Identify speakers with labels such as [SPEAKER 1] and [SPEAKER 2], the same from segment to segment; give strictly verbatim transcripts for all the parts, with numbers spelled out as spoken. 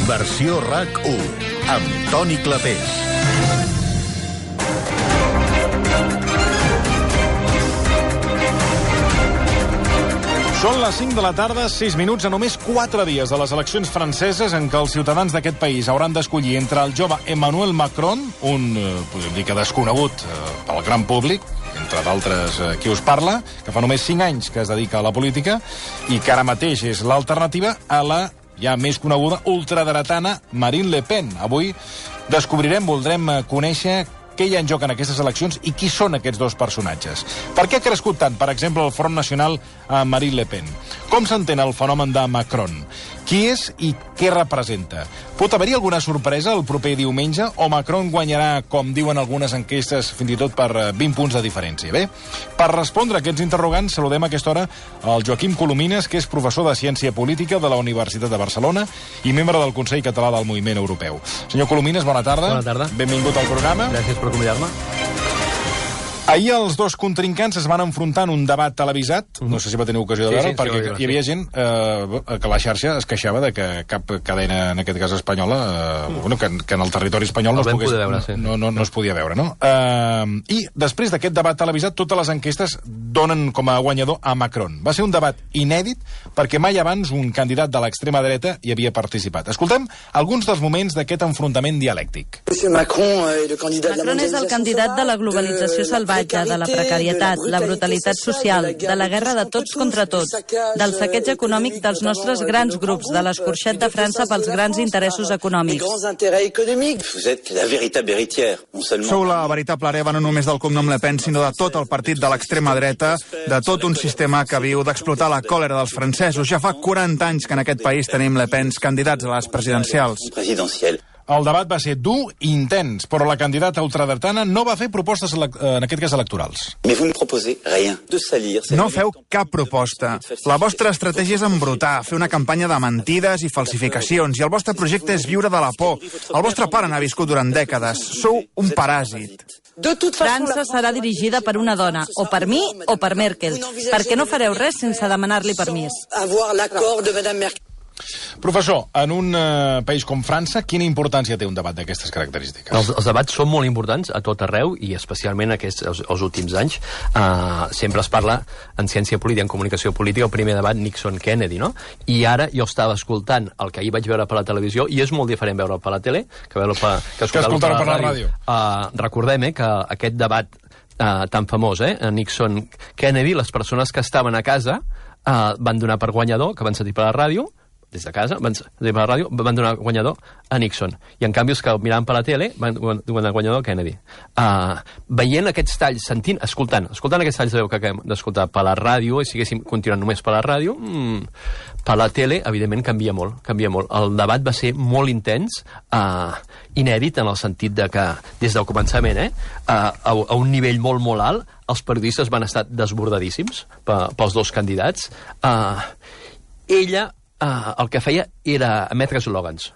[SPEAKER 1] Versió RAC u, amb Toni Clapés.
[SPEAKER 2] Són les cinc de la tarda, sis minuts, a només quatre dies de les eleccions franceses en què els ciutadans d'aquest país hauran d'escollir entre el jove Emmanuel Macron, un, eh, podríem dir que desconegut eh, pel gran públic, entre d'altres eh, qui us parla, que fa només cinc anys que es dedica a la política i que ara mateix és l'alternativa a la ja més coneguda ultradretana Marine Le Pen. Avui descobrirem, voldrem conèixer què hi ha en joc en aquestes eleccions i qui són aquests dos personatges. Per què ha crescut tant, per exemple, el Front Nacional a Marine Le Pen? Com s'entén el fenomen de Macron? Qui és i què representa? Pot haver-hi alguna sorpresa el proper diumenge o Macron guanyarà, com diuen algunes enquestes, fins i tot per vint punts de diferència? Bé, per respondre a aquests interrogants saludem a aquesta hora el Joaquim Colomines, que és professor de Ciència Política de la Universitat de Barcelona i membre del Consell Català del Moviment Europeu. Senyor Colomines, bona tarda.
[SPEAKER 3] Bona tarda.
[SPEAKER 2] Benvingut al programa.
[SPEAKER 3] Gràcies per convidar-me.
[SPEAKER 2] Ahir els dos contrincants es van enfrontar en un debat televisat, no sé si va tenir ocasió de
[SPEAKER 3] Sí,
[SPEAKER 2] veure,
[SPEAKER 3] sí, sí,
[SPEAKER 2] perquè
[SPEAKER 3] sí, sí.
[SPEAKER 2] hi havia gent eh, que la xarxa es queixava de que cap cadena, en aquest cas espanyola, eh, bueno, que, que en el territori espanyol no
[SPEAKER 3] El
[SPEAKER 2] es,
[SPEAKER 3] vam
[SPEAKER 2] pogués,
[SPEAKER 3] poder veure, sí.
[SPEAKER 2] no, no, no es podia veure, no? Eh, I després d'aquest debat televisat, totes les enquestes donen com a guanyador a Macron. Va ser un debat inèdit perquè mai abans un candidat de l'extrema dreta hi havia participat. Escoltem alguns dels moments d'aquest enfrontament dialèctic.
[SPEAKER 4] Macron és el candidat de la globalització salvatge, de la precarietat, la brutalitat social, de la guerra de tots contra tots, del saqueig econòmic dels nostres grans grups, de l'escorxet de França pels grans interessos econòmics.
[SPEAKER 5] Sou la veritable hereva no només del cognom Le Pen, sinó de tot el partit de l'extrema dreta, de tot un sistema que viu d'explotar la còlera dels francesos. Ja fa quaranta anys que en aquest país tenim Le Pens candidats a les presidencials.
[SPEAKER 2] El debat va ser dur i intens, però la candidata ultradretana no va fer propostes, en aquest cas, electorals.
[SPEAKER 5] No feu cap proposta. La vostra estratègia és embrutar, fer una campanya de mentides i falsificacions, i el vostre projecte és viure de la por. El vostre pare n'ha viscut durant dècades. Sou un paràsit.
[SPEAKER 4] França serà dirigida per una dona, o per mi o per Merkel, perquè no fareu res sense demanar-li permís.
[SPEAKER 2] Professor, en un eh, país com França, quina importància té un debat d'aquestes característiques?
[SPEAKER 3] Els, els debats són molt importants a tot arreu i especialment aquests, els, els últims anys. Uh, sempre es parla en ciència política, en comunicació política, el primer debat Nixon-Kennedy, no? I ara jo estava escoltant el que ahir vaig veure per la televisió i és molt diferent veure'l per la tele que veure-lo per, que escoltar-lo per, per la ràdio. Uh, recordem eh, que aquest debat uh, tan famós, eh, Nixon-Kennedy, les persones que estaven a casa uh, van donar per guanyador, que van sentir per la ràdio, des de casa, van, de la ràdio, van donar guanyador a Nixon. I en canvi els que miraven per la tele van donar guanyador a Kennedy. Uh, veient aquests talls, sentint, escoltant, escoltant aquests talls de veu que acabem d'escoltar per la ràdio, i si haguéssim continuat només per la ràdio, mm, per la tele, evidentment, canvia molt, canvia molt. El debat va ser molt intens, uh, inèdit en el sentit de que, des del començament, eh, uh, a, a un nivell molt, molt alt, els periodistes van estar desbordadíssims pels dos candidats. Uh, ella Uh, el que feia era emetre eslògans.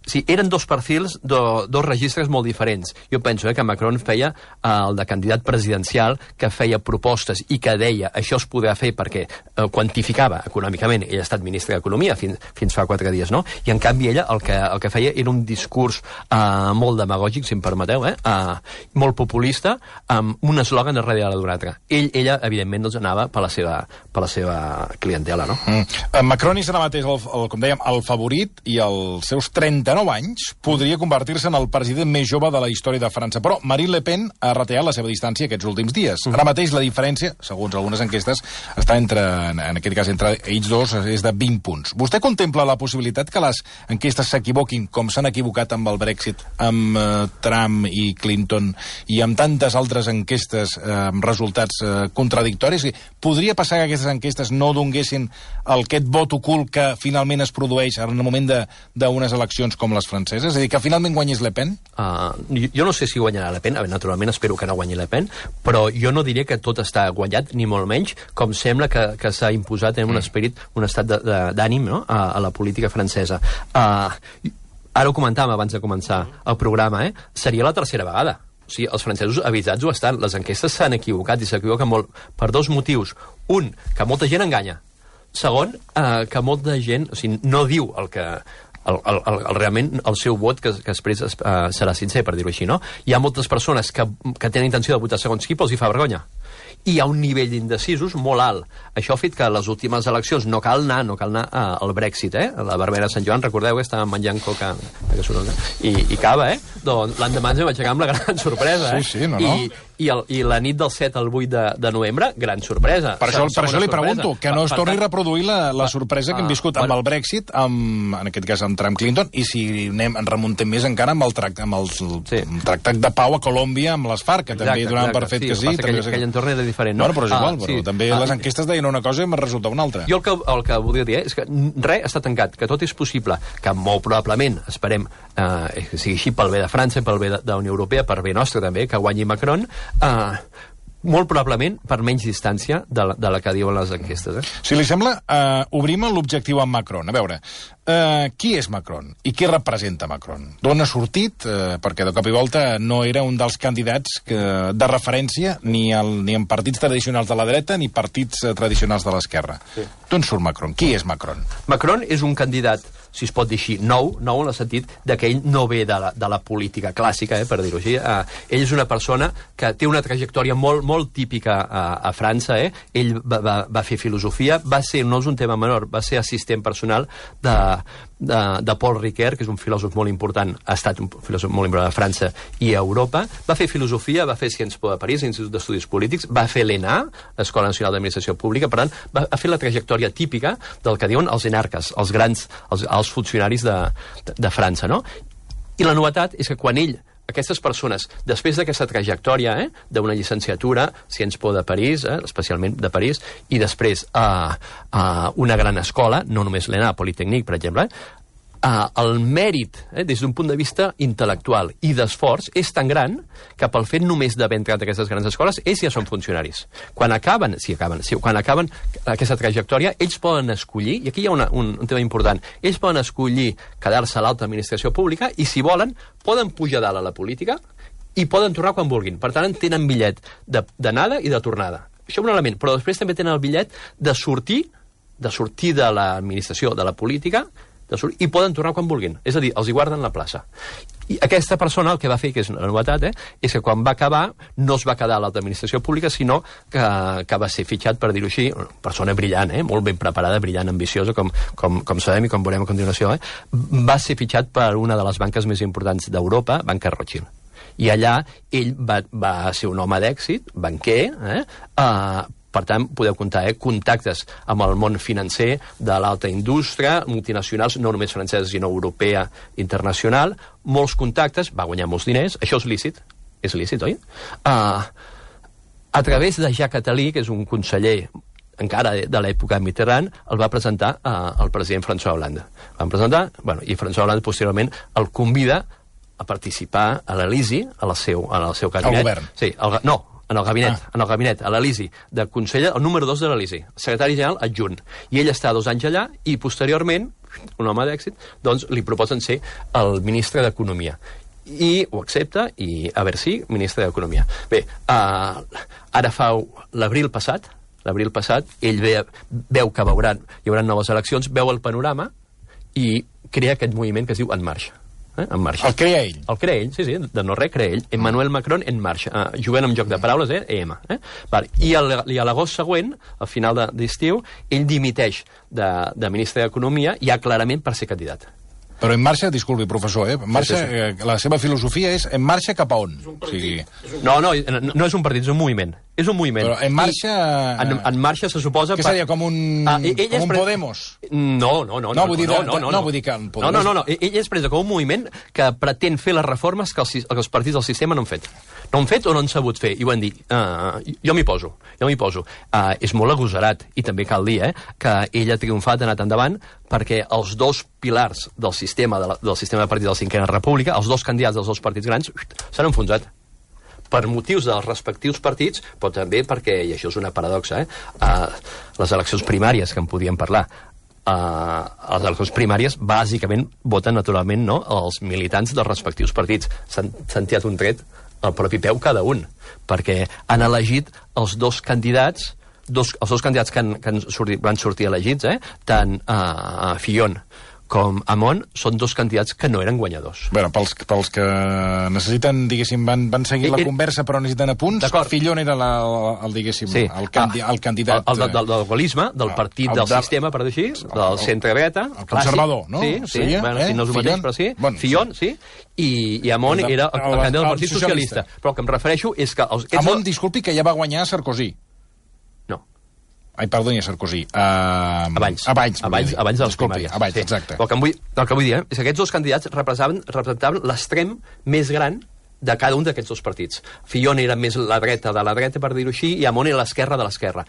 [SPEAKER 3] Sí, eren dos perfils, do, dos registres molt diferents. Jo penso eh, que Macron feia eh, el de candidat presidencial, que feia propostes i que deia això es podrà fer perquè eh, quantificava econòmicament. Ella ha estat ministra d'Economia fins, fins fa quatre dies, no? I en canvi ella el que, el que feia era un discurs eh, molt demagògic, si em permeteu, eh, eh, molt populista, amb un eslògan darrere d'un altre. Ell, ella, evidentment, doncs, anava per la seva, per la seva clientela, no?
[SPEAKER 2] Mm. Macron és ara mateix, el, el, com dèiem, el favorit i els seus trenta nou anys podria convertir-se en el president més jove de la història de França. Però Marine Le Pen ha retallat la seva distància aquests últims dies. Ara mateix la diferència, segons algunes enquestes, està entre, en aquest cas, entre ells dos, és de vint punts. Vostè contempla la possibilitat que les enquestes s'equivoquin, com s'han equivocat amb el Brexit, amb eh, Trump i Clinton, i amb tantes altres enquestes eh, amb resultats eh, contradictoris? Podria passar que aquestes enquestes no donguessin aquest vot ocult que finalment es produeix en el moment d'unes eleccions com les franceses? És a dir, que finalment guanyés Le Pen?
[SPEAKER 3] Uh, jo, jo no sé si guanyarà Le Pen, naturalment espero que no guanyi Le Pen, però jo no diré que tot està guanyat, ni molt menys, com sembla que, que s'ha imposat en un esperit, un estat d'ànim, no?, a, a la política francesa. Uh, ara ho comentàvem abans de començar el programa, eh? Seria la tercera vegada. O sigui, els francesos avisats ho estan. Les enquestes s'han equivocat i s'equivoquen molt per dos motius. Un, que molta gent enganya. Segon, eh, que molta gent, o sigui, no diu el que el, el, el, el, realment el seu vot que, que després es, uh, serà sincer, per dir-ho així, no? Hi ha moltes persones que, que tenen intenció de votar segons qui, però els hi fa vergonya. I hi ha un nivell d'indecisos molt alt. Això ha fet que a les últimes eleccions no cal anar, no cal anar uh, al Brexit, eh? La Barbera de Sant Joan, recordeu que estàvem menjant coca i, i cava, eh? Doncs l'endemà ens vam aixecar amb la gran sorpresa, eh?
[SPEAKER 2] Sí, sí, no, no.
[SPEAKER 3] I, i, el, i la nit del set al vuit de, de novembre, gran sorpresa.
[SPEAKER 2] Per això, per això li
[SPEAKER 3] sorpresa.
[SPEAKER 2] pregunto, que no es
[SPEAKER 3] per,
[SPEAKER 2] torni
[SPEAKER 3] per,
[SPEAKER 2] a reproduir la, la sorpresa que hem viscut amb
[SPEAKER 3] bueno.
[SPEAKER 2] el Brexit, amb, en aquest cas amb Trump Clinton, i si anem, en remuntem més encara amb el, tract, amb el, sí. el tractat de pau a Colòmbia amb les FARC, que també donaven per fet
[SPEAKER 3] sí,
[SPEAKER 2] que sí.
[SPEAKER 3] Que aquell, aquell entorn era diferent, no?
[SPEAKER 2] Bueno, però és igual, ah, però
[SPEAKER 3] sí.
[SPEAKER 2] també
[SPEAKER 3] ah,
[SPEAKER 2] les enquestes deien una cosa i em resulta una altra.
[SPEAKER 3] Jo el que, el que voldria dir és que res està tancat, que tot és possible, que molt probablement, esperem, eh, que sigui així pel bé de França, pel bé de, de la Unió Europea, per bé nostre també, que guanyi Macron, eh, molt probablement per menys distància de la, de la que diuen les enquestes. Eh?
[SPEAKER 2] Si li sembla, eh, obrim l'objectiu amb Macron. A veure, eh, qui és Macron? I què representa Macron? D'on ha sortit? Eh, perquè de cop i volta no era un dels candidats que, de referència ni, el, ni en partits tradicionals de la dreta ni partits eh, tradicionals de l'esquerra. Sí. D'on surt Macron? Qui és Macron?
[SPEAKER 3] Macron és un candidat, si es pot dir així, nou, nou en el sentit de que ell no ve de la, de la política clàssica, eh, per dir-ho així. Eh, ell és una persona que té una trajectòria molt, molt típica a, a França. Eh? Ell va, va, va fer filosofia, va ser, no és un tema menor, va ser assistent personal de, de, de Paul Ricoeur, que és un filòsof molt important, ha estat un filòsof molt important a França i a Europa. Va fer filosofia, va fer Sciences Po de París, Institut d'Estudis Polítics, va fer l'E N A, l'Escola Nacional d'Administració Pública, per tant, va, va fer la trajectòria típica del que diuen els enarques, els grans, els, els funcionaris de, de, de França, no? I la novetat és que quan ell, aquestes persones, després d'aquesta trajectòria, eh, d'una llicenciatura, Sciences Po de París, eh, especialment de París, i després a uh, uh, una gran escola, no només l'E N A, Politécnique, per exemple, eh, Uh, el mèrit, eh, des d'un punt de vista intel·lectual i d'esforç, és tan gran que pel fet només d'haver entrat a aquestes grans escoles, ells ja són funcionaris. Quan acaben, sí, acaben, sí, quan acaben aquesta trajectòria, ells poden escollir, i aquí hi ha una, un, un tema important, ells poden escollir quedar-se a l'alta administració pública i, si volen, poden pujar dalt a la política i poden tornar quan vulguin. Per tant, tenen bitllet d'anada i de tornada. Això és un element, però després també tenen el bitllet de sortir, de sortir de l'administració, de la política, i poden tornar quan vulguin. És a dir, els hi guarden la plaça. I aquesta persona el que va fer, que és una novetat, eh, és que quan va acabar no es va quedar a l'alta administració pública, sinó que, que va ser fitxat, per dir-ho així, una persona brillant, eh, molt ben preparada, brillant, ambiciosa, com, com, com sabem i com veurem a continuació, eh, va ser fitxat per una de les banques més importants d'Europa, Banca Rothschild. I allà ell va, va ser un home d'èxit, banquer, eh, eh, per tant, podeu comptar, eh, contactes amb el món financer de l'alta indústria, multinacionals, no només franceses, sinó europea, internacional, molts contactes, va guanyar molts diners, això és lícit, és lícit, oi? Uh, a través de Jacques Attali, que és un conseller encara de l'època Mitterrand, el va presentar uh, el president François Hollande. Van presentar, bueno, i François Hollande posteriorment el convida a participar a l'Elisi, al seu, al seu cabinet.
[SPEAKER 2] Al govern?
[SPEAKER 3] Sí, el, no, en el gabinet, ah. en el gabinet, a l'Elisi, de conseller, el número dos de l'Elisi, secretari general adjunt. I ell està dos anys allà i, posteriorment, un home d'èxit, doncs li proposen ser el ministre d'Economia. I ho accepta, i a veure si, ministre d'Economia. Bé, uh, ara fa l'abril passat, l'abril passat, ell ve, veu que veuran, hi haurà noves eleccions, veu el panorama i crea aquest moviment que es diu En Marxa. Eh, en marxa.
[SPEAKER 2] El crea ell?
[SPEAKER 3] El crea ell, sí, sí, de no res crea ell. Emmanuel Macron En Marxa. Uh, jugant amb joc de paraules, eh? E M. Eh? Vale. I, el, I a l'agost següent, al final d'estiu, ell dimiteix de, de ministre d'Economia ja clarament per ser candidat.
[SPEAKER 2] Però En Marxa, disculpi, professor, eh? En Marxa, sí, sí, sí. Eh, la seva filosofia és En Marxa cap a on? O sigui...
[SPEAKER 3] No, no, no és un partit, és un moviment. És un moviment.
[SPEAKER 2] Però En Marxa...
[SPEAKER 3] En, en Marxa se suposa...
[SPEAKER 2] Què seria, com un,
[SPEAKER 3] ah, com
[SPEAKER 2] un pre... Podemos?
[SPEAKER 3] No, no, no.
[SPEAKER 2] No, vull dir,
[SPEAKER 3] no, no, no,
[SPEAKER 2] no, vull dir que...
[SPEAKER 3] No, no, no, no. Ell és presa com un moviment que pretén fer les reformes que els, que els partits del sistema no han fet. No han fet o no han sabut fer. I ho han dit. Uh, jo m'hi poso. Jo m'hi poso. Uh, és molt agosarat, i també cal dir, eh, que ell ha triomfat, ha anat endavant, perquè els dos pilars del sistema, de la, del sistema de partits de la Cinquena República, els dos candidats dels dos partits grans, s'han enfonsat. Per motius dels respectius partits, però també perquè, i això és una paradoxa, eh, uh, les eleccions primàries, que en podíem parlar, uh, les eleccions primàries bàsicament voten naturalment, no, els militants dels respectius partits. S'han tirat un tret al propi peu cada un, perquè han elegit els dos candidats, dos, els dos candidats que, han, que han sortit, van sortir elegits, eh, tant uh, Fillon com Hamon són dos candidats que no eren guanyadors.
[SPEAKER 2] Bueno, pels, pels que necessiten, diguéssim, van, van seguir la conversa però necessiten apunts, Fillon era la, el, diguéssim, sí. el, candi, el candidat...
[SPEAKER 3] El, el, del, del gaullisme, del partit el, del el, sistema, per dir així, del centre-dreta.
[SPEAKER 2] El conservador, no?
[SPEAKER 3] Sí, sí, seria, bueno, eh? si no és el mateix, però sí. Bueno, Fillon, sí. I, i Hamon el, era el, el, el candidat del Partit Socialista. Socialista. Però el que em refereixo és que... Els,
[SPEAKER 2] Hamon, disculpi, que ja va guanyar Sarkozy. Ai, perdoni, Sarkozy. Uh,
[SPEAKER 3] abans.
[SPEAKER 2] Abans,
[SPEAKER 3] abans, abans de les primàries.
[SPEAKER 2] Abans, sí. Exacte.
[SPEAKER 3] El que, vull, el que vull dir eh, és que aquests dos candidats representaven, representaven l'extrem més gran de cada un d'aquests dos partits. Fillon era més la dreta de la dreta, per dir-ho així, i Hamon era l'esquerra de l'esquerra.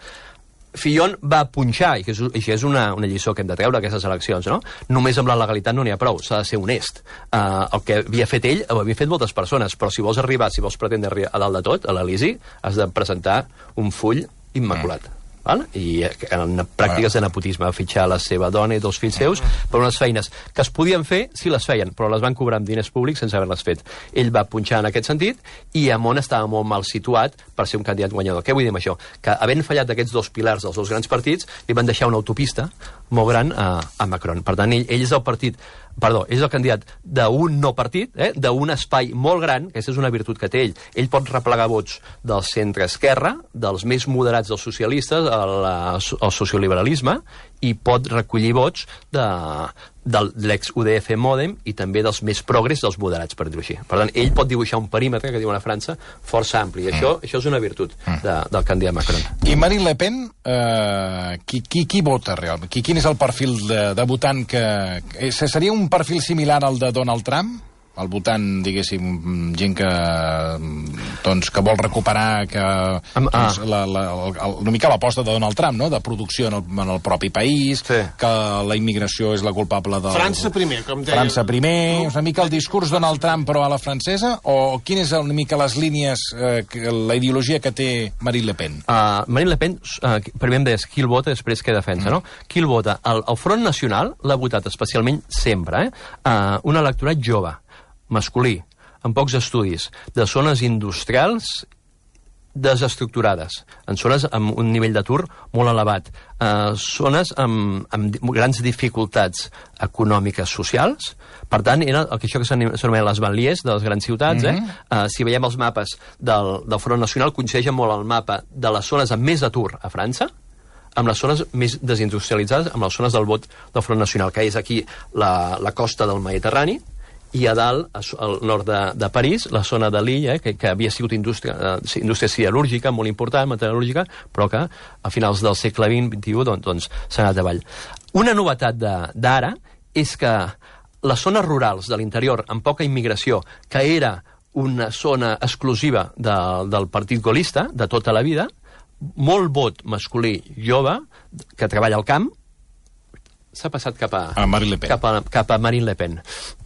[SPEAKER 3] Fillon va punxar, i que és, això és una, una lliçó que hem de treure aquestes eleccions, no? Només amb la legalitat no n'hi ha prou, s'ha de ser honest. Uh, el que havia fet ell, ho havia fet moltes persones, però si vols arribar, si vols pretendre arribar a dalt de tot, a l'Elisi, has de presentar un full immaculat. Mm. Val? I en pràctiques de nepotisme, fitxar la seva dona i dos fills seus per unes feines que es podien fer si les feien, però les van cobrar amb diners públics sense haver-les fet. Ell va punxar en aquest sentit i Hamon estava molt mal situat per ser un candidat guanyador. Què vull dir amb això? Que havent fallat d'aquests dos pilars dels dos grans partits, li van deixar una autopista molt gran a, a Macron. Per tant, ell, ell és el partit Perdó, és el candidat d'un no partit, eh, d'un espai molt gran, aquesta és una virtut que té ell. Ell pot replegar vots del centre-esquerra, dels més moderats dels socialistes, el, el socioliberalisme, i pot recollir vots de, de l'ex-U D F Modem i també dels més progres dels moderats, per dir-ho així. Per tant, ell pot dibuixar un perímetre, que diuen a França, força ampli. I això, mm. això és una virtut de, del candidat Macron.
[SPEAKER 2] I Marine Le Pen, eh, qui, qui, qui vota realment? Qui, quin és el perfil de, de votant que... Seria un perfil similar al de Donald Trump? El votant, diguéssim, gent que doncs, que vol recuperar que, um, ah. doncs, la, la, el, una mica l'aposta de Donald Trump, no? De producció en el, en el propi país, sí. Que la immigració és la culpable del...
[SPEAKER 6] França primer, com deia.
[SPEAKER 2] França primer, no? Una mica el discurs Donald Trump però a la francesa, o quina és una mica les línies, eh, la ideologia que té Marine Le Pen?
[SPEAKER 3] Uh, Marine Le Pen, uh, primer em deies qui el vota, després què defensa, mm. no? Qui el vota? El, el Front Nacional l'ha votat especialment sempre, eh? Uh, un electorat jove, masculí, amb pocs estudis, de zones industrials desestructurades, en zones amb un nivell d'atur molt elevat, eh, zones amb, amb grans dificultats econòmiques socials. Per tant, era el que això que s'anomena les banlieues de les grans ciutats. Mm-hmm. eh? Eh, si veiem els mapes del, del Front Nacional, coincideixen molt el mapa de les zones amb més atur a França, amb les zones més desindustrialitzades, amb les zones del vot del Front Nacional, que és aquí la, la costa del Mediterrani, i a dalt, al nord de, de París, la zona de l'illa, eh, que, que havia sigut indústria, eh, indústria siderúrgica, molt important, metal·lúrgica, però que a finals del segle vint, vint-i-u, doncs, doncs s'ha anat avall. Una novetat d'ara és que les zones rurals de l'interior, amb poca immigració, que era una zona exclusiva de, del partit gaullista, de tota la vida, molt vot masculí jove, que treballa al camp, s'ha passat cap a,
[SPEAKER 2] a Marine Le Pen.
[SPEAKER 3] Cap a, cap a Marine Le Pen.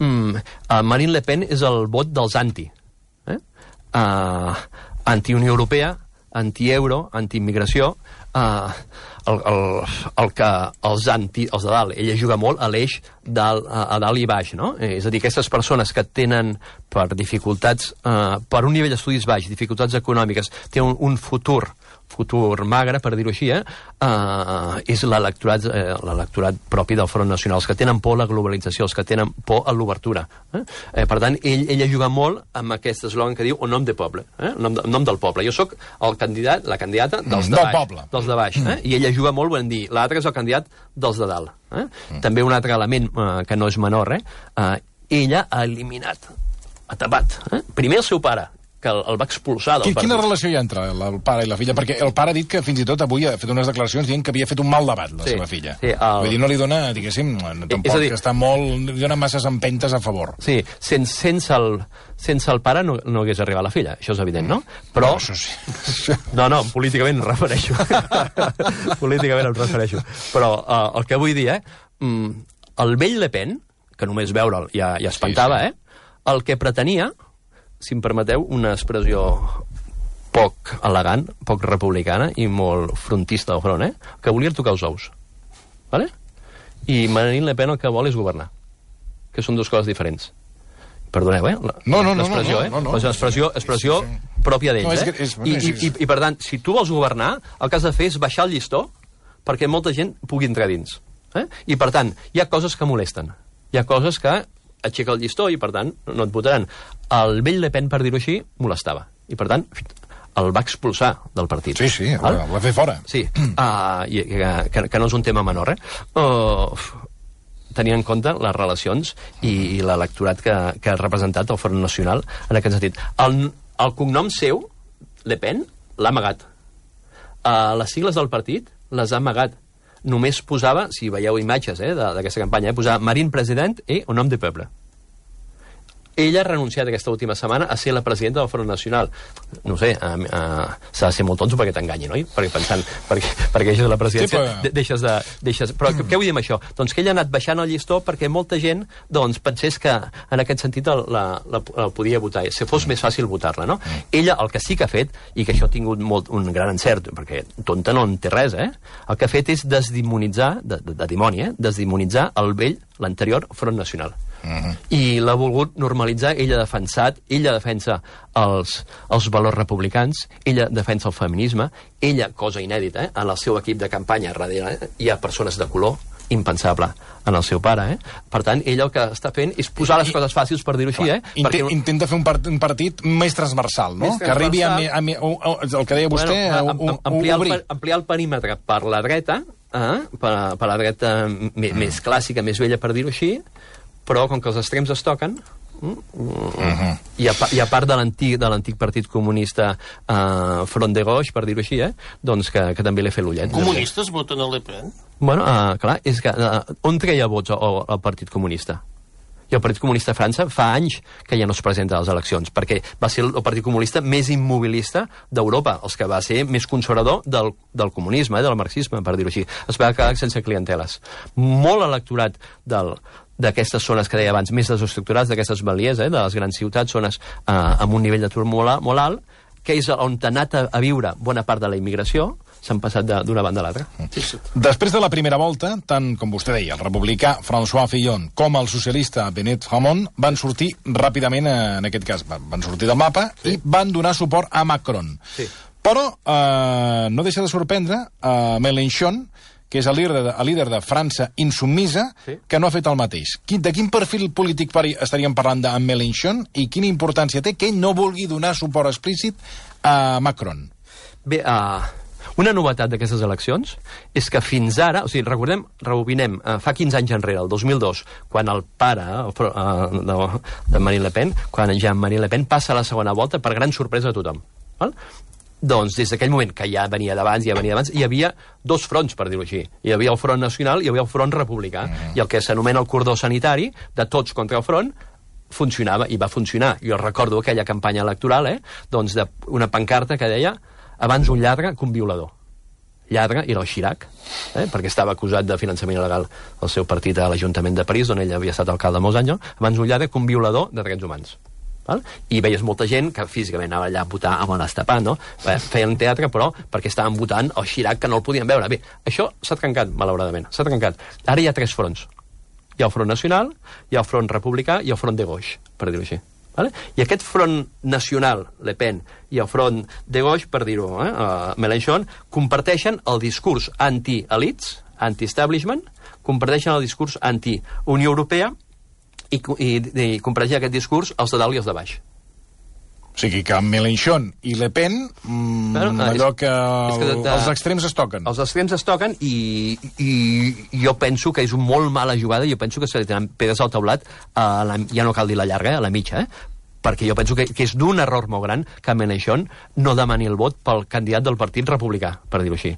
[SPEAKER 3] Mm, uh, Marine Le Pen és el vot dels anti. Eh? Uh, anti-Unió Europea, anti-euro, anti-immigració. Uh, el, el, el que els anti, els de dalt, ella juga molt a l'eix dalt, a, a dalt i baix, no? Eh, és a dir, aquestes persones que tenen per dificultats, uh, per un nivell d'estudis baix, dificultats econòmiques, tenen un, un futur futur magre, per dir-ho així, eh? Uh, és l'electorat eh, l'electorat propi del Front Nacional, els que tenen por a la globalització, els que tenen por a l'obertura. Eh? Eh, per tant, ell, ella juga molt amb aquest eslògan que diu "au nom de poble", eh? nom, de, nom del poble. Jo sóc el candidat, la candidata dels de baix.
[SPEAKER 2] Poble.
[SPEAKER 3] Dels de baix. Eh? I ella juga molt, volem dir, l'altre és el candidat dels de dalt. Eh? Mm. També un altre element eh, que no és menor, eh? Uh, ella ha eliminat, ha tapat, eh? primer el seu pare, que el, el va expulsar del partit.
[SPEAKER 2] Quina relació hi ha entre el pare i la filla? Perquè el pare ha dit que fins i tot avui ha fet unes declaracions dient que havia fet un mal debat, la sí, seva filla. Sí, el... Vull dir, no li dona, diguéssim, tampoc dir... que està molt... li dona masses empentes a favor.
[SPEAKER 3] Sí, sense, sense, el, sense el pare no, no hagués arribat la filla, això és evident, no? Però...
[SPEAKER 2] No, això sí.
[SPEAKER 3] No, no, políticament em refereixo. Políticament em refereixo. Però uh, el que vull dir, eh? El vell Le Pen, que només veure'l ja, ja espantava, sí, sí. eh? El que pretenia, si em permeteu, una expressió poc elegant, poc republicana i molt frontista al front, eh? Que volia tocar els ous. Vale? I Marine Le Pen el que vol és governar. Que són dues coses diferents. Perdoneu, eh? La,
[SPEAKER 2] no, no, no.
[SPEAKER 3] L'expressió,
[SPEAKER 2] no, no, no, no.
[SPEAKER 3] eh? L'expressió, expressió sí, sí. pròpia d'ells,
[SPEAKER 2] no, és
[SPEAKER 3] eh?
[SPEAKER 2] Que és,
[SPEAKER 3] I,
[SPEAKER 2] és, és...
[SPEAKER 3] i, i, I, per tant, si tu vols governar, el que has de fer és baixar el llistó perquè molta gent pugui entrar dins. Eh? I, per tant, hi ha coses que molesten. Hi ha coses que aixeca el llistó i, per tant, no et votaran. El vell Le Pen, per dir-ho així, molestava. I, per tant, el va expulsar del partit.
[SPEAKER 2] Sí, sí, el va fer fora.
[SPEAKER 3] Sí, uh, i, que, que no és un tema menor, eh? Uh, tenint en compte les relacions i, i l'electorat que, que ha representat el Front Nacional en aquest sentit. El, el cognom seu, Le Pen, l'ha amagat. Uh, les sigles del partit les ha amagat. Només posava, si veieu imatges eh, d'aquesta campanya, eh, posava Marine President i un nom de peuple. Ella ha renunciat aquesta última setmana a ser la presidenta del Front Nacional. No sé, uh, uh, s'ha de ser molt tonto perquè t'enganyi, no? Perquè pensant, perquè, perquè deixes la presidència, sí, però... deixes de... Deixes... Però mm. què vull dir amb això? Doncs que ella ha anat baixant el llistó perquè molta gent doncs, pensés que en aquest sentit el, la, la, la podia votar, si fos mm. més fàcil votar-la, no? Mm. Ella el que sí que ha fet, i que això ha tingut molt, un gran encert, perquè tonta no en té res, eh? El que ha fet és desdimonitzar, de, de, de dimoni, eh? Desdimonitzar el vell, l'anterior Front Nacional. Uh-huh. I l'ha volgut normalitzar. Ella ha defensat, ella defensa els, els valors republicans, ella defensa el feminisme, ella, cosa inèdita, eh, en el seu equip de campanya darrere, eh, hi ha persones de color, impensable en el seu pare, eh? Per tant, ella el que està fent és posar les coses fàcils, per dir-ho així, eh?
[SPEAKER 2] Intent, perquè... Intenta fer un, part, un partit més transversal, no? Més transversal. Que arribi a, a, a, a, a, el que deia vostè, bueno, a, a, a,
[SPEAKER 3] ampliar,
[SPEAKER 2] obrir.
[SPEAKER 3] el, ampliar el perímetre per la dreta, eh? per, per la dreta mm. més clàssica, més vella, per dir-ho així, però com que els extrems es toquen, mm, uh-huh. i, a, i a part de l'antic de l'antic partit comunista uh, Front de Gauche, per dir-ho així, eh, doncs que, que també l'he fet l'ullet.
[SPEAKER 6] Comunistes voten a Le Pen?
[SPEAKER 3] Bueno, uh, clar, és que uh, on treia vots el, el Partit Comunista? I el Partit Comunista a França fa anys que ja no es presenta a les eleccions, perquè va ser el Partit Comunista més immobilista d'Europa, els que va ser més conservador del, del comunisme, eh, del marxisme, per dir-ho així. Es va quedar sense clienteles. Molt electorat del d'aquestes zones que deia abans, més desestructurades, d'aquestes balies, eh, de les grans ciutats, zones eh, amb un nivell d'atur molt, molt alt, que és on ha anat a, a viure bona part de la immigració, s'han passat d'una banda a l'altra.
[SPEAKER 2] Sí, sí. Després de la primera volta, tant com vostè deia, el republicà François Fillon com el socialista Benet Hamon van sortir ràpidament, en aquest cas, van sortir del mapa sí. i van donar suport a Macron. Sí. Però eh, no deixa de sorprendre a Mélenchon, que és el líder de, el líder de França insubmisa, sí. que no ha fet el mateix. Quin, de quin perfil polític estaríem parlant d'en Mélenchon i quina importància té que ell no vulgui donar suport explícit a Macron?
[SPEAKER 3] Bé, uh, una novetat d'aquestes eleccions és que fins ara, o sigui, recordem, rebobinem, uh, fa quinze anys enrere, el dos mil dos, quan el pare uh, de, de Marine Le Pen, quan Jean-Marie Le Pen passa a la segona volta per gran sorpresa de tothom. Val? Doncs des d'aquell moment, que ja venia d'abans, ja venia d'abans, hi havia dos fronts, per dir-ho així. Hi havia el front nacional i hi havia el front republicà. Mm. I el que s'anomena el cordó sanitari, de tots contra el front, funcionava, i va funcionar. Jo recordo aquella campanya electoral, eh? Doncs d'una pancarta que deia abans un lladre que un violador. Lladre era el Chirac, eh? perquè estava acusat de finançament il·legal al seu partit a l'Ajuntament de París, on ell havia estat alcalde molts anys, no? Abans un lladre que un violador de drets humans. Val? I veies molta gent que físicament anava allà a votar amb el nas tapat, no? Feien teatre, però perquè estaven votant el Chirac, que no el podien veure. Bé, això s'ha trencat, malauradament, s'ha trencat. Ara hi ha tres fronts. Hi ha el front nacional, hi ha el front republicà i el front de gauche, per dir-ho així. Vale? I aquest front nacional, Le Pen, i el front de gauche, per dir-ho, eh, uh, Mélenchon, comparteixen el discurs anti-elites, anti-establishment, comparteixen el discurs anti-Unió Europea, i, i, i compareixen aquest discurs els de dalt i els de baix.
[SPEAKER 2] O sigui que Mélenchon i Le Pen, mmm, bueno, allò que, és, és que de, de, els extrems es toquen.
[SPEAKER 3] Els extrems es toquen i, i jo penso que és una molt mala jugada, jo penso que se li tenen pedres al taulat, a la, ja no cal dir la llarga, a la mitja, eh? Perquè jo penso que, que és d'un error molt gran que Mélenchon no demani el vot pel candidat del Partit Republicà, per dir-ho així.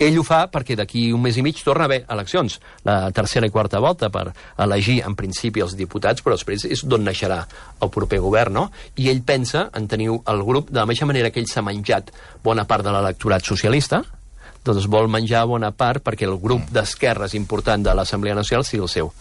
[SPEAKER 3] Ell ho fa perquè d'aquí un mes i mig torna a haver eleccions, la tercera i quarta volta, per elegir en principi els diputats, però després és d'on naixerà el proper govern, no? I ell pensa en tenir el grup, de la mateixa manera que ell s'ha menjat bona part de l'electorat socialista, doncs vol menjar bona part perquè el grup d'esquerres important de l'Assemblea Nacional sigui el seu.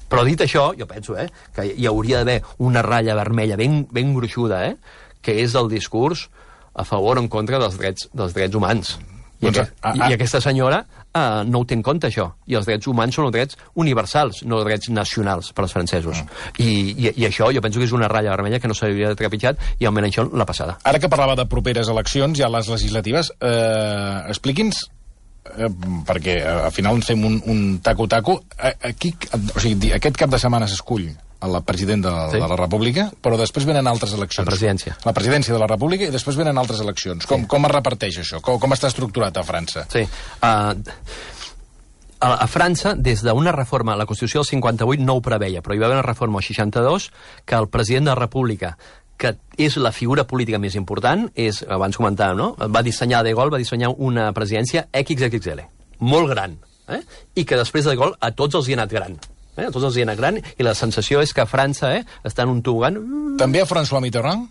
[SPEAKER 3] Però dit això, jo penso eh, que hi hauria d'haver una ratlla vermella ben, ben gruixuda, eh, que és el discurs a favor o en contra dels drets, dels drets humans. I, doncs, aquest, a, a... I aquesta senyora eh, no ho té en compte, això. I els drets humans són els drets universals, no els drets nacionals per als francesos. Mm. I, i, I això jo penso que és una ratlla vermella que no s'hauria de trepitjat i almenys això la passada.
[SPEAKER 2] Ara que parlava de properes eleccions, ja les legislatives, eh, expliqui'ns eh, perquè al final fem un, un taco-taco, aquí, o sigui, aquest cap de setmana s'escull el president de, sí. de la República, però després venen altres eleccions.
[SPEAKER 3] La presidència.
[SPEAKER 2] La presidència de la República i després venen altres eleccions. Com, sí. com es reparteix això? Com, com està estructurat a França?
[SPEAKER 3] Sí. Uh, a, a França, des d'una reforma, la Constitució del cinquanta-vuit no ho preveia, però hi va haver una reforma al seixanta-dos que el president de la República, que és la figura política més important, és, abans comentàvem, no? Va dissenyar, De Gaulle va dissenyar una presidència equis equis ele, molt gran, eh? I que després de De Gaulle a tots els hi ha anat gran. Eh? A tots els hi ha anat gran, i la sensació és que França eh, està en un tobogan.
[SPEAKER 2] També a François Mitterrand?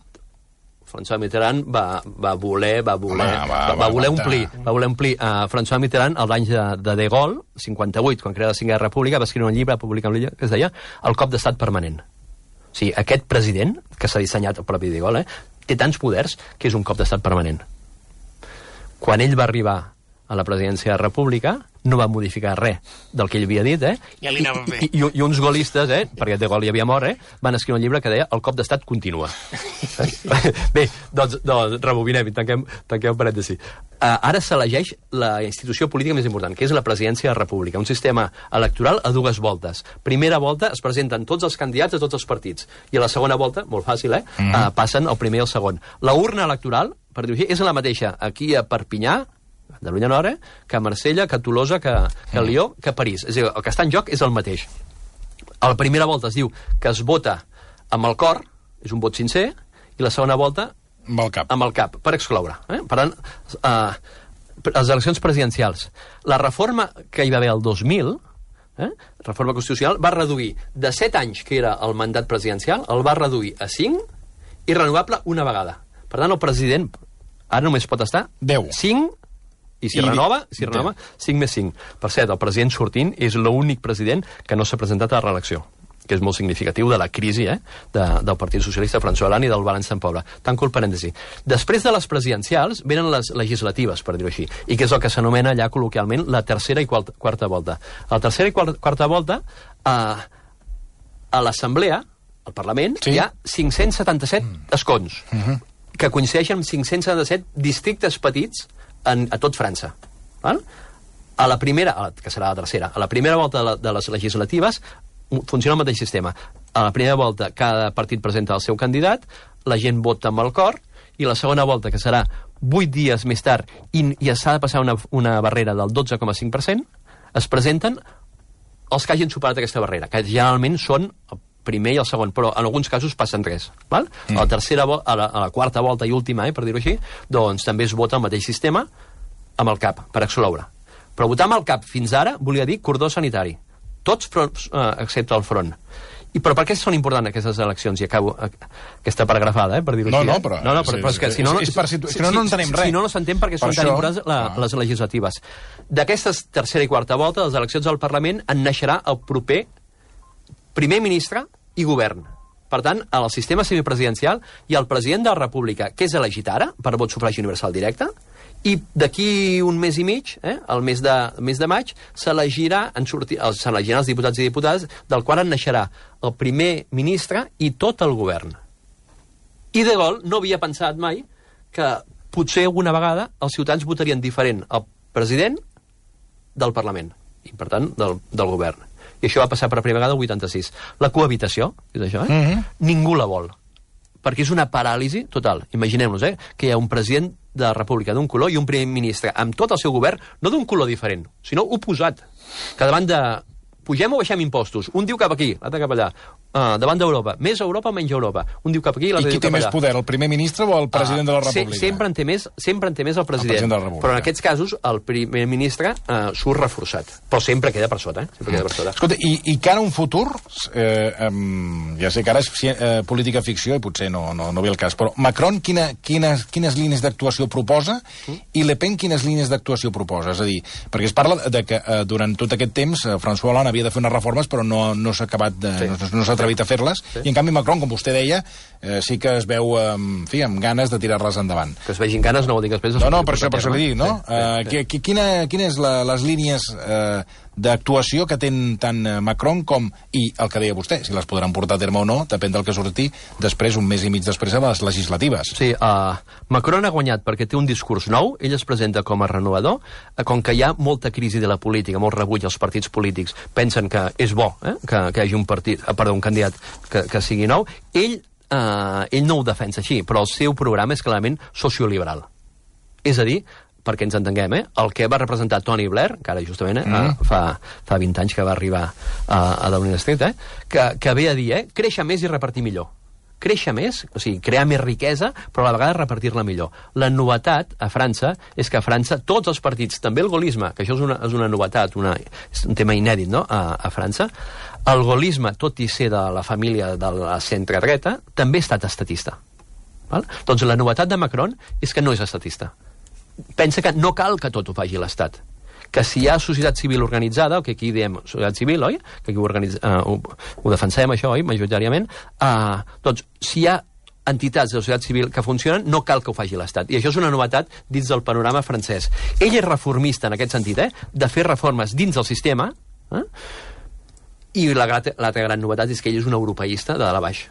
[SPEAKER 3] François Mitterrand va, va voler, va voler, Home, va, va, va voler va omplir, va voler omplir. Uh, François Mitterrand, als anys de, de De Gaulle, cinquanta-vuit, quan crea la Cinquena República, va escriure un llibre, publicar un llibre, que es deia El cop d'estat permanent. O sigui, aquest president, que s'ha dissenyat el propi De Gaulle, eh, té tants poders que és un cop d'estat permanent. Quan ell va arribar a la presidència de la República, no va modificar res del que ell havia dit, eh?
[SPEAKER 2] Ja li anava bé.
[SPEAKER 3] I, i, I uns gaullistes, eh? Perquè De Gaulle hi havia mort, eh? Van escriure un llibre que deia El cop d'estat continua. Bé, doncs, doncs rebobinem i tanquem, tanquem un parèntesi. Uh, ara s'elegeix la institució política més important, que és la presidència de la República, un sistema electoral a dues voltes. Primera volta es presenten tots els candidats de tots els partits, i a la segona volta, molt fàcil, eh? Mm -hmm. uh, passen el primer i el segon. La urna electoral, per dir-ho així, és la mateixa aquí a Perpinyà, Catalunya Nord, eh? que a Marsella, que a Tolosa, que, que a Lió, que a París. És a dir, el que està en joc és el mateix. A la primera volta es diu que es vota amb el cor, és un vot sincer, i la segona volta
[SPEAKER 2] amb el cap,
[SPEAKER 3] amb el cap per excloure. Eh? Per tant, eh, les eleccions presidencials. La reforma que hi va haver el dos mil, eh? reforma constitucional, va reduir de set anys, que era el mandat presidencial, el va reduir a cinc i renovable una vegada. Per tant, el president ara només pot estar
[SPEAKER 2] deu.
[SPEAKER 3] cinc i si I renova, si renova, cinc més cinc. Per cert, el president sortint és l'únic president que no s'ha presentat a la reelecció, que és molt significatiu de la crisi eh, de, del Partit Socialista François Hollande i del balanç tan pobre. Tanco el parèntesi. Després de les presidencials venen les legislatives, per dir-ho així, i que és el que s'anomena allà col·loquialment la tercera i quarta, quarta volta. A la tercera i quarta, quarta volta, a, a l'Assemblea, al Parlament, sí? hi ha cinc-cents setanta-set mm. escons, mm -hmm. que coincideixen amb cinc-cents setanta-set districtes petits En, a tot França. Val? A la primera, a la, que serà la tercera, a la primera volta de, la, de les legislatives funciona el mateix sistema. A la primera volta cada partit presenta el seu candidat, la gent vota amb el cor, i la segona volta, que serà vuit dies més tard, i, i s'ha de passar una, una barrera del dotze coma cinc per cent, es presenten els que hagin superat aquesta barrera, que generalment són el primer i el segon, però en alguns casos passen res. Val? Mm. A la tercera, a la, a la quarta volta i última, eh, per dir-ho així, doncs també es vota el mateix sistema amb el cap, per excloure. Però votar amb el cap fins ara volia dir cordó sanitari. Tots fronts, eh, excepte el front. I però per què són importants aquestes eleccions? I acabo eh, aquesta paragrafada, eh, per dir-ho
[SPEAKER 2] no,
[SPEAKER 3] així.
[SPEAKER 2] No, però,
[SPEAKER 3] no, no, però,
[SPEAKER 2] sí,
[SPEAKER 3] però és que si no...
[SPEAKER 2] És, és per situ... si, si no, no entenem res.
[SPEAKER 3] Si no, no s'entén perquè per són això... tan importants la, ah. les legislatives. D'aquestes tercera i quarta volta, les eleccions al Parlament, en naixerà el proper primer ministre i govern. Per tant, al sistema semipresidencial hi ha el president de la República, que és elegit ara, per vot sufragi universal directe, i d'aquí un mes i mig, eh, el mes de, mes de maig, s'elegirà s'elegiran els diputats i diputades, del qual en naixerà el primer ministre i tot el govern. I De Gaulle no havia pensat mai que potser alguna vegada els ciutadans votarien diferent el president del Parlament, i per tant del, del govern. I això va passar per primera vegada el vuitanta-sis. La cohabitació, és això, eh? Mm-hmm. Ningú la vol, perquè és una paràlisi total. Imaginem-nos, eh, que hi ha un president de la República d'un color i un primer ministre amb tot el seu govern, no d'un color diferent, sinó oposat, que davant de pugem o baixem impostos, un diu cap aquí, l'altre cap allà, uh, davant d'Europa, més Europa o menys Europa, un diu cap aquí i l'altre diu cap allà.
[SPEAKER 2] I qui té més poder, el primer ministre o el president uh, de la República?
[SPEAKER 3] Se, sempre, en té més, sempre en té més el president, el president però en aquests casos el primer ministre uh, surt reforçat, però sempre queda per sota, eh? Sempre queda per sota.
[SPEAKER 2] Escolta, i, i cara a un futur, eh, um, ja sé que ara és eh, política ficció i potser no, no, no ve el cas, però Macron quina, quines, quines línies d'actuació proposa mm. i Le Pen quines línies d'actuació proposa? És a dir, perquè es parla de que eh, durant tot aquest temps eh, François Hollande havia de fer unes reformes però no, no s'ha acabat de, sí. no, no s'ha atrevit a fer-les, sí. I en canvi Macron, com vostè deia, eh, sí que es veu en fi, amb ganes de tirar-les endavant.
[SPEAKER 3] Que es vegin ganes no vol dir que després...
[SPEAKER 2] No, no, per això, per això li dic, no? Sí, sí, uh, sí. Quina, quina és la, les línies eh, d'actuació que ten tant Macron com, i el que deia vostè, si les podran portar a terme o no, depèn del que surti després, un mes i mig després, a les legislatives.
[SPEAKER 3] Sí, uh, Macron ha guanyat perquè té un discurs nou, ell es presenta com a renovador, uh, com que hi ha molta crisi de la política, molt rebuig als partits polítics, pensen que és bo eh, que, que hi hagi un, partit, uh, perdó, un candidat que, que sigui nou, ell, uh, ell no ho defensa així, però el seu programa és clarament socioliberal. És a dir, perquè ens entenguem, eh? El que va representar Tony Blair, que ara justament eh, mm. fa, fa vint anys que va arribar a, a Downing Street, eh? que, que ve a dir, eh? créixer més i repartir millor. Créixer més, o sigui, crear més riquesa, però a la vegada repartir-la millor. La novetat a França és que a França tots els partits, també el gaullisme, que això és una, és una novetat, una, és un tema inèdit, no?, a, a França, el gaullisme, tot i ser de la família de la centre-dreta, també ha estat estatista. Val? Doncs la novetat de Macron és que no és estatista. Pensa que no cal que tot ho faci l'Estat, que si hi ha societat civil organitzada, el que aquí diem societat civil, oi? Que aquí ho, organitz... uh, ho, ho defensem, això, oi? Majoritàriament. Uh, doncs, si hi ha entitats de la societat civil que funcionen, no cal que ho faci l'Estat. I això és una novetat dins del panorama francès. Ell és reformista en aquest sentit, eh? De fer reformes dins del sistema, eh? I l'altra gran novetat és que ell és un europeista de dalt a baix.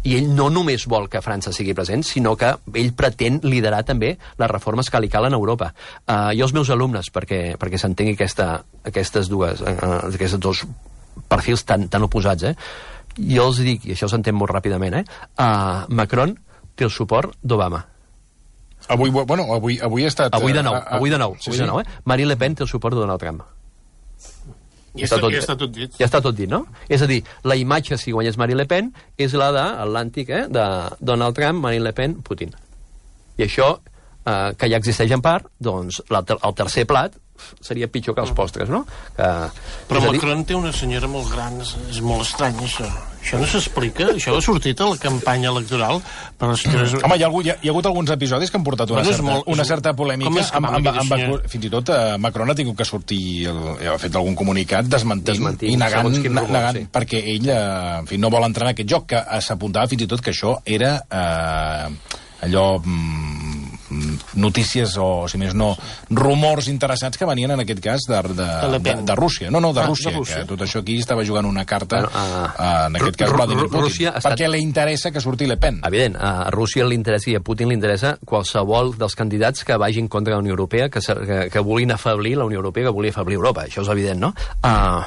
[SPEAKER 3] I ell no només vol que França sigui present, sinó que ell pretén liderar també les reformes que li calen a Europa. Uh, jo els meus alumnes, perquè, perquè s'entengui aquesta, aquestes dues, uh, aquests dos perfils tan, tan oposats, eh? Jo els dic, i això s'entén molt ràpidament, eh? Uh, Macron té el suport d'Obama.
[SPEAKER 2] Avui, bueno, avui, avui ha estat...
[SPEAKER 3] Avui de nou, uh, avui de nou, sí, avui sí. de nou eh? Marine Le Pen té el suport de Donald Trump.
[SPEAKER 6] Ja està, tot, ja està tot dit.
[SPEAKER 3] Ja està tot dit, no? És a dir, la imatge, si guanyés Marine Le Pen, és la de l'Atlàntic, eh? De Donald Trump, Marine Le Pen, Putin. I això, eh, que ja existeix en part, doncs el, el tercer plat seria pitjor que els postres, no? Que,
[SPEAKER 6] però Macron dir... té una senyora molt gran, és molt estrany, això. Això no s'explica, això ha sortit a la campanya electoral, però la senyora...
[SPEAKER 2] Mm. Home, hi ha, hi, ha, hi ha hagut alguns episodis que han portat una, bueno, certa, molt, una certa polèmica, amb, amb, amb, amb, fins i tot eh, Macron ha tingut que sortir, el, ha fet algun comunicat desmentint, desmentint i negant, rumor, negant sí. perquè ell eh, en fi, no vol entrar en aquest joc, que s'apuntava fins i tot que això era eh, allò... Mm, notícies o, si més no, rumors interessants que venien en aquest cas de, de, de, de Rússia. No, no, de, ah, Rússia, de Rússia, que tot això aquí estava jugant una carta, bueno, uh, en aquest cas Vladimir Putin, estat... perquè li interessa que surti Le Pen.
[SPEAKER 3] Evident, a Rússia li interessa i a Putin li interessa qualsevol dels candidats que vagin contra la Unió Europea, que, que, que vulguin afeblir la Unió Europea, que vulguin afeblir Europa. Això és evident, no? Uh,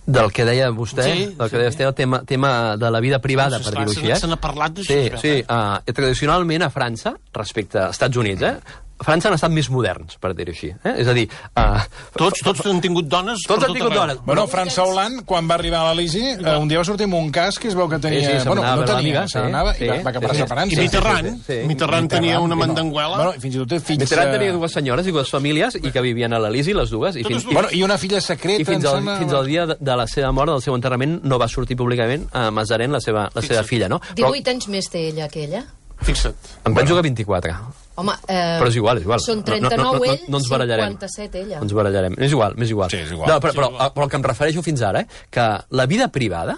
[SPEAKER 3] del que deia vostè, sí, del que deia vostè, el tema, tema de la vida privada, per dir-ho així, eh?
[SPEAKER 6] Se n'ha parlat d'això.
[SPEAKER 3] Sí, sí, uh, tradicionalment a França, respecte als Estats Units, eh? França han estat més moderns, per dir-ho així. Eh? És a dir... Uh,
[SPEAKER 6] tots, tots han tingut dones
[SPEAKER 3] tots han tingut dones.
[SPEAKER 2] Bueno, François Hollande, quan va arribar a l'Elisi, uh, un dia va sortir amb un cas que es veu que tenia... Sí, sí, bueno, no tenia, se n'anava sí, i va, va cap a França.
[SPEAKER 6] I Mitterrand, sí, sí, sí. Mitterrand tenia una mandanguela.
[SPEAKER 2] Bueno, fins i tot té fills...
[SPEAKER 3] Mitterrand tenia dues senyores i dues famílies i que vivien a l'Elisi, les dues. I, fins,
[SPEAKER 2] i, bueno, i una filla secreta...
[SPEAKER 3] I fins al, fins al dia de, de la seva mort, del seu enterrament, no va sortir públicament a Mazarin, la seva, la seva filla, no?
[SPEAKER 7] divuit anys més té ella que ella?
[SPEAKER 6] Fixa't.
[SPEAKER 3] Em penso que vint-i-quatre.
[SPEAKER 7] Home, eh,
[SPEAKER 3] però és igual, és igual.
[SPEAKER 7] Són trenta-nou
[SPEAKER 3] no, no, no,
[SPEAKER 7] ell,
[SPEAKER 3] no, no
[SPEAKER 7] cinquanta-set ella.
[SPEAKER 3] No ens barallarem. És igual, és igual.
[SPEAKER 2] Sí, és igual.
[SPEAKER 3] No, però, però, però el que em refereixo fins ara, eh, que la vida privada,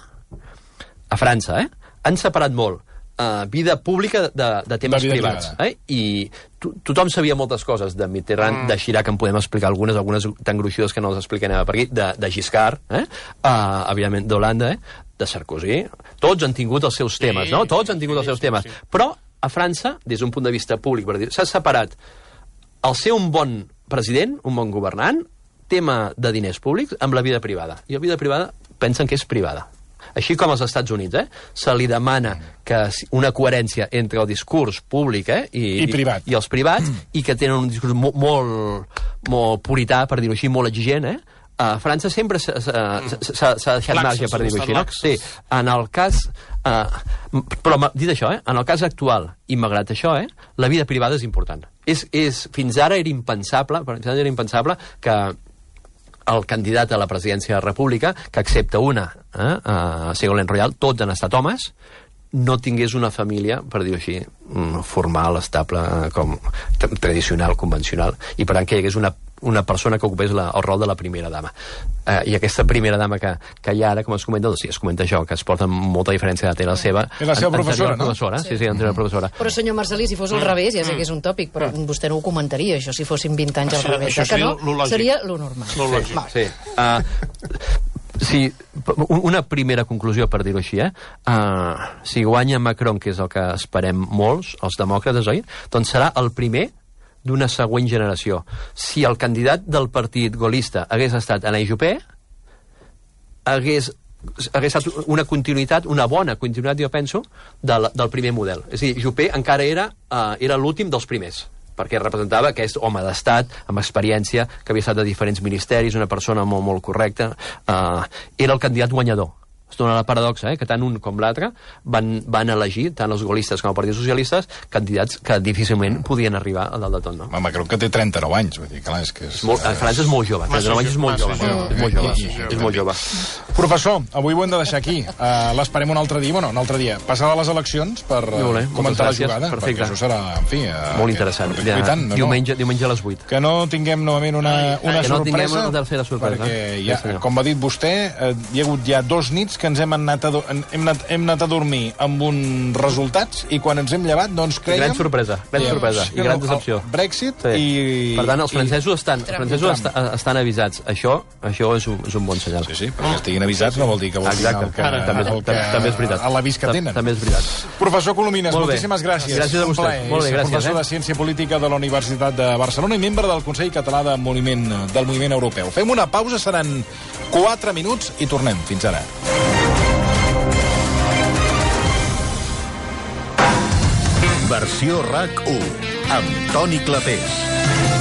[SPEAKER 3] a França, eh, han separat molt uh, vida pública de, de temes de privats. Eh? I to, tothom sabia moltes coses de Mitterrand, mm. de Chirac, en podem explicar algunes, algunes tan gruixudes que no les explicarem per aquí, de, de Giscard, eh? uh, evidentment d'Holanda, eh? De Sarkozy. Tots han tingut els seus temes, sí, no? Tots han tingut sí, els seus sí, temes. Sí. Però a França, des d'un punt de vista públic, s'ha separat el ser un bon president, un bon governant, tema de diners públics, amb la vida privada. I la vida privada pensen que és privada. Així com als Estats Units, eh? Se li demana que una coherència entre el discurs públic eh? I,
[SPEAKER 2] I, privat.
[SPEAKER 3] i, i els privats, mm. i que tenen un discurs molt, molt, molt purità, per dir-ho així, molt exigent, eh? A França sempre s'ha deixat marge, per dir-ho així, no? Sí, en el cas... Uh, però dit això, eh, en el cas actual, i malgrat això, eh, la vida privada és important. És, és, fins ara era impensable, fins ara era impensable que el candidat a la presidència de la República, que accepta una, eh, a Ségolène Royal, tots han estat homes, no tingués una família, per dir-ho així, formal, estable, com tradicional, convencional, i per tant que hi hagués una una persona que ocupés la, el rol de la primera dama. Eh, I aquesta primera dama que, que hi ha ara, com es comenta, doncs sí, es comenta això, que es porta molta diferència de la seva...
[SPEAKER 2] És la seva professora, no?
[SPEAKER 3] Professora, sí, sí, anterior professora.
[SPEAKER 7] Però, senyor Marcelí, si fos al revés, ja sé que és un tòpic, però vostè no ho comentaria, això, si fossin vint anys al revés.
[SPEAKER 6] Això
[SPEAKER 7] Que no?
[SPEAKER 6] seria lo lògic.
[SPEAKER 7] Seria lo normal.
[SPEAKER 6] Lo lògic.
[SPEAKER 3] Sí. Uh, sí, una primera conclusió, per dir-ho així, eh? Uh, si guanya Macron, que és el que esperem molts, els demòcrates, oi? Doncs serà el primer d'una següent generació. Si el candidat del partit golista hagués estat Alain Juppé, hagués, hagués estat una continuïtat, una bona continuïtat, jo penso, del, del primer model. És a dir, Juppé encara era, uh, era l'últim dels primers, perquè representava aquest home d'estat, amb experiència, que havia estat de diferents ministeris, una persona molt, molt correcta. Uh, era el candidat guanyador. Es dona la paradoxa, eh, que tant un com l'altre van, van elegir, tant els gaullistes com el Partit Socialistes, candidats que difícilment podien arribar a dalt de tot, no?
[SPEAKER 2] Home, crec que té trenta-nou anys, vull dir, clar, és que és...
[SPEAKER 3] Molt, a França és molt jove, trenta-nou anys és molt jove. És molt jove, és molt jove.
[SPEAKER 2] Professor, avui ho hem de deixar aquí. Uh, L'esperem un altre dia, bueno, un altre dia. Passar a les eleccions per uh, comentar la jugada,
[SPEAKER 3] perfecte.
[SPEAKER 2] perquè això serà, en fi... Uh,
[SPEAKER 3] molt interessant. Ja, tant, no, diumenge, diumenge a les vuit.
[SPEAKER 2] Que no tinguem novament una, una
[SPEAKER 3] que no
[SPEAKER 2] sorpresa,
[SPEAKER 3] una tercera sorpresa,
[SPEAKER 2] perquè, ja, sí, com va dit vostè, uh, hi ha hagut ja dos nits que ens hem anat a hem anat, hem anat a dormir amb uns resultats i quan ens hem llevat, doncs creiem...
[SPEAKER 3] Gran sorpresa, gran
[SPEAKER 2] dèiem,
[SPEAKER 3] sorpresa i gran decepció.
[SPEAKER 2] Brexit
[SPEAKER 3] sí.
[SPEAKER 2] i...
[SPEAKER 3] Per tant, els francesos,
[SPEAKER 2] i,
[SPEAKER 3] estan, els francesos estan, estan avisats. Això, això és, un, és un bon senyal.
[SPEAKER 2] Sí, sí, perquè estiguin avisats no vol dir que vol dir el que,
[SPEAKER 3] Ara, també,
[SPEAKER 2] el que,
[SPEAKER 3] també és veritat.
[SPEAKER 2] a l'avís que tenen.
[SPEAKER 3] També és veritat.
[SPEAKER 2] Professor Colomines, moltíssimes gràcies.
[SPEAKER 3] Gràcies a vostè. Molt bé, gràcies.
[SPEAKER 2] Professor
[SPEAKER 3] eh?
[SPEAKER 2] de Ciència Política de la Universitat de Barcelona i membre del Consell Català de Moviment, del Moviment Europeu. Fem una pausa, seran quatre minuts i tornem. Fins ara.
[SPEAKER 1] Versió RAC u amb Toni Clapés.